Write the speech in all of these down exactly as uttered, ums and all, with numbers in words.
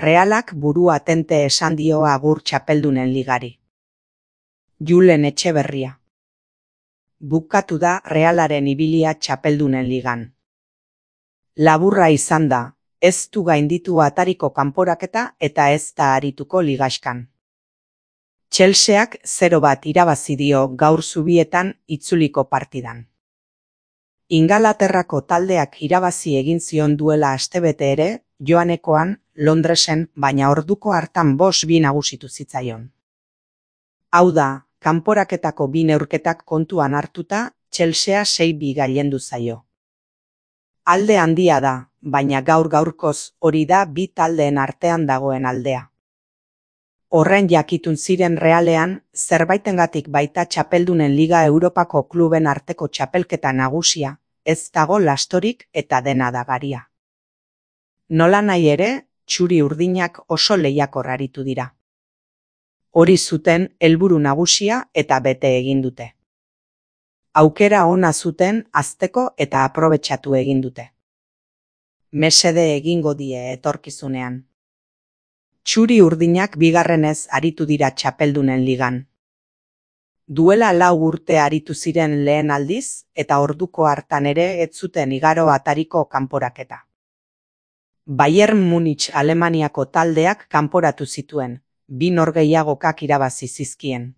Realak burua tente esan dio agur txapeldunen ligari. Julen Etxeberria. Bukatu da Realaren ibilia txapeldunen ligan. Laburra izan da, ez du gainditu atariko kanporaketa eta ez da arituko ligaskan. Chelseak zero bat irabazi dio gaur zubietan itzuliko partidan. Ingalaterrako taldeak irabazi egin zion duela astebete ere, joanekoan, Londresen, baina orduko hartan bost bi nagusitu zitzaion. Hau da, kanporaketako bi neurketak kontuan hartuta, Chelsea sei bi gailendu zaio. Alde handia da, baina gaur gaurkoz hori da bi taldeen artean dagoen aldea. Horren jakitun ziren Realean, zerbaitengatik baita txapeldunen Liga Europako kluben arteko txapelketa nagusia, ez dago lastorik eta dena dagaria. Nola nahi ere, txuri urdinak oso lehiakor aritu dira. Hori zuten helburu nagusia eta bete egin dute. Aukera ona zuten hazteko eta aprobetxatu egin dute. Mesede egingo die etorkizunean. Txuri urdinak bigarrenez aritu dira txapeldunen ligan. Duela lau urte aritu ziren lehen aldiz eta orduko hartan ere ez zuten igaro atariko kanporaketa. Bayern Munich Alemaniako taldeak kanporatu zituen, bi norgehiagokak irabazi zizkien.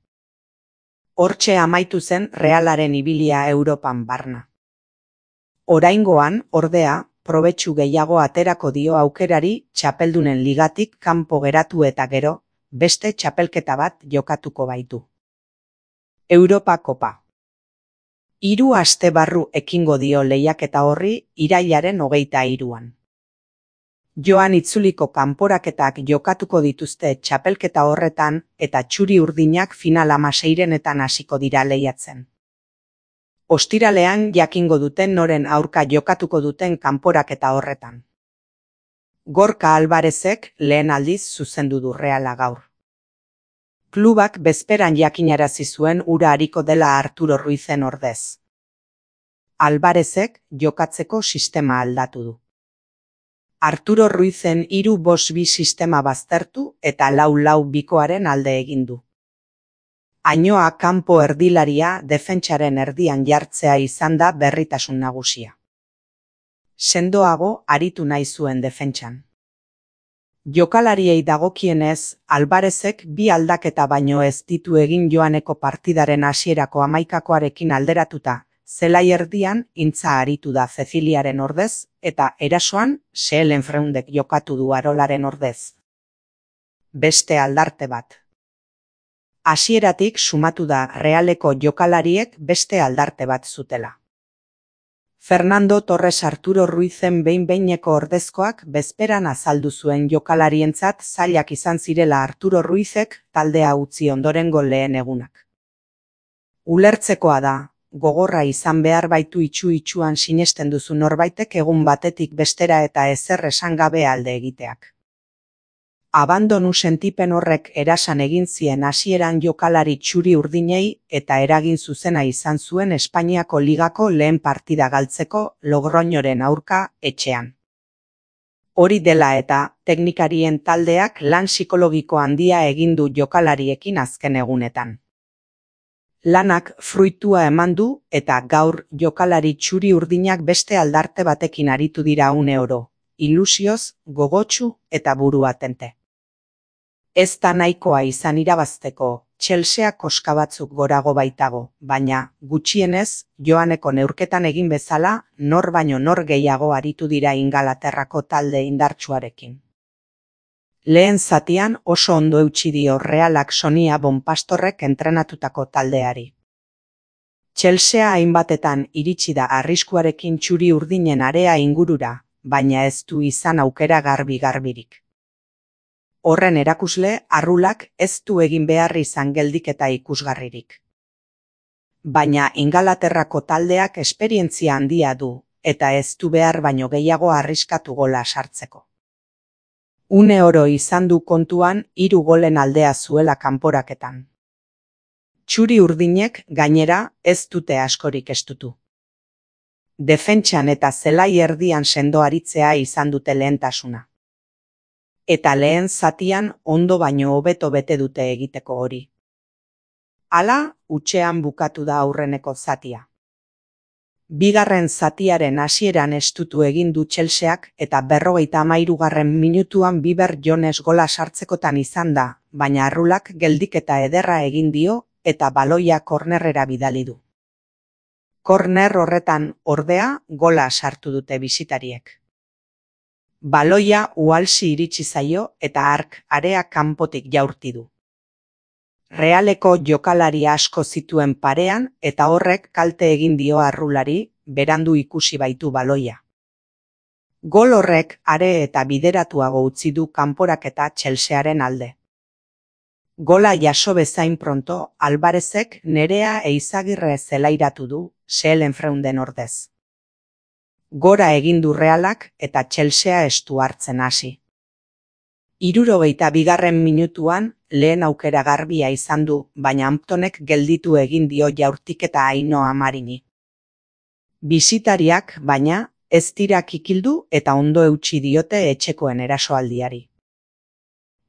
Hortxe amaitu zen Realaren ibilia Europan barna. Oraingoan, ordea, probetxu gehiago aterako dio aukerari txapeldunen ligatik kanpo geratu eta gero, beste txapelketa bat jokatuko baitu. Europa Kopa. Hiru aste barru ekingo dio lehiaketa horri irailaren hogeita hiruan. Joan itzuliko kanporaketak jokatuko dituzte txapelketa horretan eta txuri urdinak final hamaseirenetan hasiko dira lehiatzen. Ostiralean jakingo duten noren aurka jokatuko duten kanporaketa horretan. Gorka Alvarezek lehen aldiz zuzendu du Reala gaur. Klubak bezperan jakinarazi zuen ura hariko dela Arturo Ruizen ordez. Alvarezek jokatzeko sistema aldatu du. Arturo Ruizen hiru bost bi sistema baztertu eta lau lau bikoaren alde egin du. Ainoa kanpo erdilaria defentsaren erdian jartzea izan da berritasun nagusia. Sendoago aritu nahi zuen defentsan. Jokalariei dagokienez, Alvarezek bi aldaketa baino ez ditu egin joaneko partidaren hasierako hamaikakoarekin alderatuta, zelai erdian intza aritu da Ceciliaren ordez eta erasoan Seelenfreundek jokatu du Arolaren ordez. Beste aldarte bat. Hasieratik sumatu da Realeko jokalariek beste aldarte bat zutela. Fernando Torres Arturo Ruizen behin-behineko ordezkoak bezperan azaldu zuen jokalarientzat zailak izan zirela Arturo Ruizek taldea utzi ondorengo lehen egunak. Ulertzekoa da, gogorra izan behar baitu itxu-itxuan sinesten duzu norbaitek egun batetik bestera eta ezer esan gabe alde egiteak. Abandonu sentipen horrek erasan egin zien hasieran jokalari txuri urdinei eta eragin zuzena izan zuen Espainiako ligako lehen partida galtzeko Logroñoren aurka etxean. Hori dela eta teknikarien taldeak lan psikologiko handia egin du jokalariekin azken egunetan. Lanak fruitua eman du eta gaur jokalari txuri urdinak beste aldarte batekin aritu dira une oro, ilusioz, gogotsu eta burua tente. Ez da nahikoa izan irabazteko, Chelsea koska batzuk gorago baitago, baina, gutxienez, joaneko neurketan egin bezala, nor baino nor gehiago aritu dira Ingalaterrako talde indartsuarekin. Lehen zatian oso ondo eutsi dio Realak Sonia Bonpastorrek entrenatutako taldeari. Chelsea hainbatetan iritsi da arriskuarekin txuri urdinen area ingurura, baina ez du izan aukera garbi-garbirik. Horren erakusle, Arrulak ez du egin behar izan geldiketa ikusgarririk. Baina Ingalaterrako taldeak esperientzia handia du, eta ez du behar baino gehiago arriskatu gola sartzeko. Une oro izan du kontuan hiru golen aldea zuela kanporaketan. Txuri urdinek, gainera, ez dute askorik estutu. Defentsan eta zelai erdian sendo aritzea izan dute lehentasuna. eta lehen zatian ondo baino hobeto bete dute egiteko hori. Hala, hutsean bukatu da aurreneko zatia. Bigarren zatiaren hasieran estutu egin du Chelseak eta berrogeita hamairugarren minutuan Biber Jones gola sartzekotan izan da, baina arrulak geldiketa ederra egin dio eta baloia kornerrera bidali du. Korner horretan, ordea, gola sartu dute bisitariek. Baloia uhalsi iritsi zaio eta hark area kanpotik jaurti du. Realeko jokalari asko zituen parean eta horrek kalte egin dio arrulari, berandu ikusi baitu baloia. Gol horrek are eta bideratuago utzi du kanporaketa Chelsearen alde. Gola jaso bezain pronto, Alvarezek Nerea Eizagirre zelairatu du, Sehlenfreunden ordez. Gora egin du Realak eta Chelsea estu hartzen hasi. Hirurogeita bigarren minutuan lehen aukera garbia izan du, baina Hamptonek gelditu egin dio jaurtiketa Ainhoa Marini. Bisitariak, baina, ez dira kikildu eta ondo eutsi diote etxekoen erasoaldiari.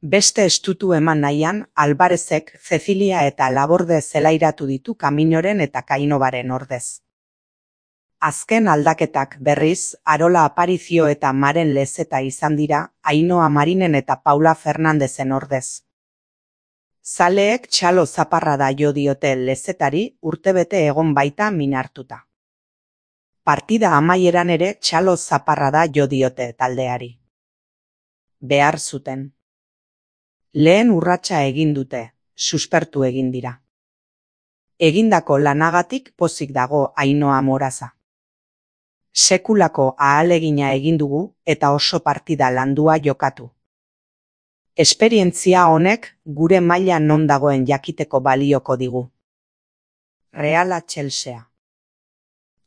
Beste estutu eman nahian, Alvarezek Cecilia eta Laborde zelairatu ditu Kaminoren eta Kainobaren ordez. Azken aldaketak berriz, Arola Aparizio eta Maren Lezeta izan dira, Ainhoa Marinen eta Paula Fernandezen ordez. Zaleek txalo zaparrada jo diote Lezetari, urtebete egon baita min hartuta. Partida amaieran ere txalo zaparrada jo diote taldeari. Behar zuten. Lehen urratsa egin dute, suspertu egin dira. Egindako lanagatik pozik dago Ainhoa Moraza. Sekulako ahalegina egin dugu eta oso partida landua jokatu. Esperientzia honek gure maila non dagoen jakiteko balioko digu. Reala Chelsea.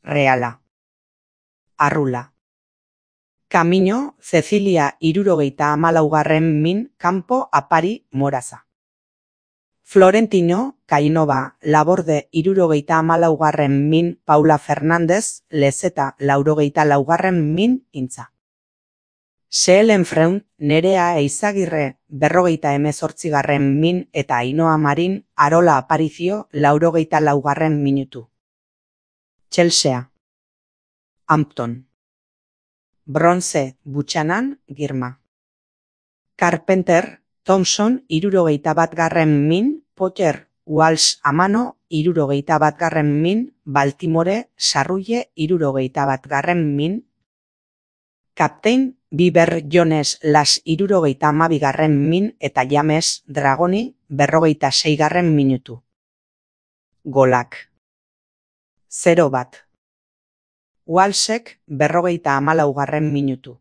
Reala. Arrula. Kamino, Cecilia hirurogeita hamalaugarren min, Campo, Apari, Moraza. Florentino, Kainova, Laborde hirurogeita hamalaugarren min, Paula Fernandez, Lezeta laurogeita laugarren min, Intza. Sehlenfreund, Nerea Eizagirre, berrogeita hemezortzigarren min eta Ainhoa Marin, Arola Aparizio, laurogeita laugarren minutu. Chelsea. Hampton. Bronze, Buchanan, Girma. Carpenter, Thompson, hirurogeita batgarren min, Potter, Walsh Amano, hirurogeita batgarren min, Baltimore, Sarrulle, hirurogeita batgarren min. Kaptein, Biber Jones Las hirurogeita hamabigarren min eta James Dragoni, berrogeita seigarren minutu. Golak. Zero bat. Walshek berrogeita hamalaugarren minutu.